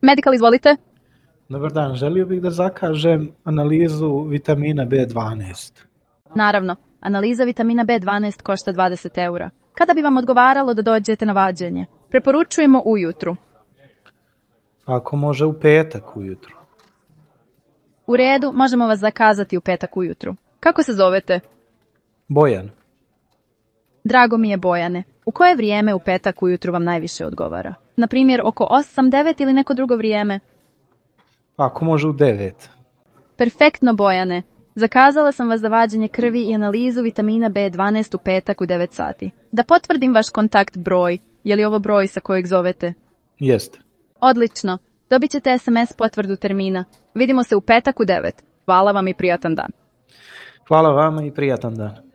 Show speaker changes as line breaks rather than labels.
Medical, izvolite.
Dobar dan, želio bih da zakažem analizu vitamina B12.
Naravno, analiza vitamina B12 košta 20 eura. Kada bi vam odgovaralo da dođete na vađenje? Preporučujemo ujutru.
Ako može u petak ujutro.
U redu, možemo vas zakazati u petak ujutru. Kako se zovete?
Bojan.
Drago mi je, Bojane. U koje vrijeme u petak ujutru vam najviše odgovara? Na primjer, oko 8, 9 ili neko drugo vrijeme?
Ako može u 9.
Perfektno, Bojane. Zakazala sam vas za vađenje krvi i analizu vitamina B12 u petak u 9 sati. Da potvrdim vaš kontakt broj. Je li ovo broj sa kojeg zovete?
Jeste.
Odlično. Dobit ćete SMS potvrdu termina. Vidimo se u petak u 9. Hvala vam i prijatan dan.
Hvala vama i prijatan dan.